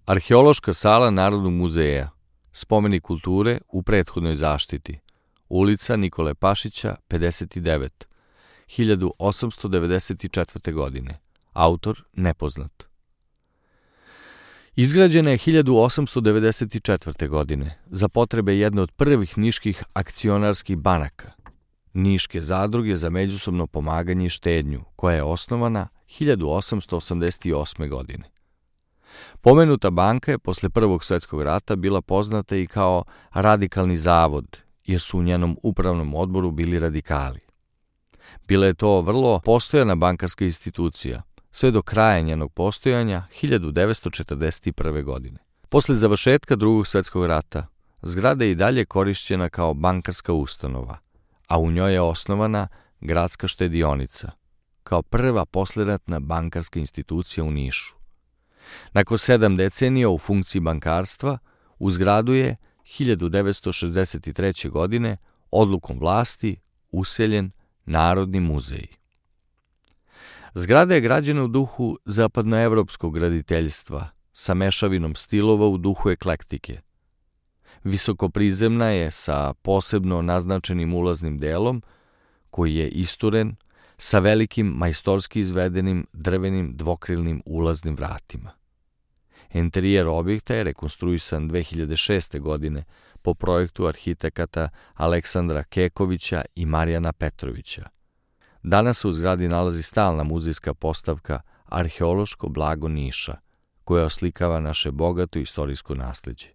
Arheološka sala Narodnog muzeja, spomenik kulture u prethodnoj zaštiti, ulica Nikole Pašića, 59, 1894. godine, autor nepoznat. Izgrađena je 1894. godine za potrebe jedne od prvih niških akcionarskih banaka, Niške zadruge za međusobno pomaganje i štednju, koja je osnovana 1888. godine. Pomenuta banka je posle Prvog svjetskog rata bila poznata i kao radikalni zavod, jer su u njenom upravnom odboru bili radikali. Bila je to vrlo postojana bankarska institucija, sve do kraja njenog postojanja 1941. godine. Posle završetka Drugog svjetskog rata, zgrada je i dalje korišćena kao bankarska ustanova, a u njoj je osnovana Gradska štedionica, kao prva posleratna bankarska institucija u Nišu. Nakon 7 decenija u funkciji bankarstva, u zgradu je 1963. godine odlukom vlasti useljen Narodni muzej. Zgrada je građena u duhu zapadnoevropskog graditeljstva, sa mešavinom stilova u duhu eklektike. Visokoprizemna je sa posebno naznačenim ulaznim delom, koji je isturen sa velikim majstorski izvedenim drvenim dvokrilnim ulaznim vratima. Interijer objekta je rekonstruisan 2006. godine po projektu arhitekata Aleksandra Kekovića i Marijana Petrovića. Danas se u zgradi nalazi stalna muzejska postavka Arheološko blago Niša, koja oslikava naše bogato istorijsko nasleđe.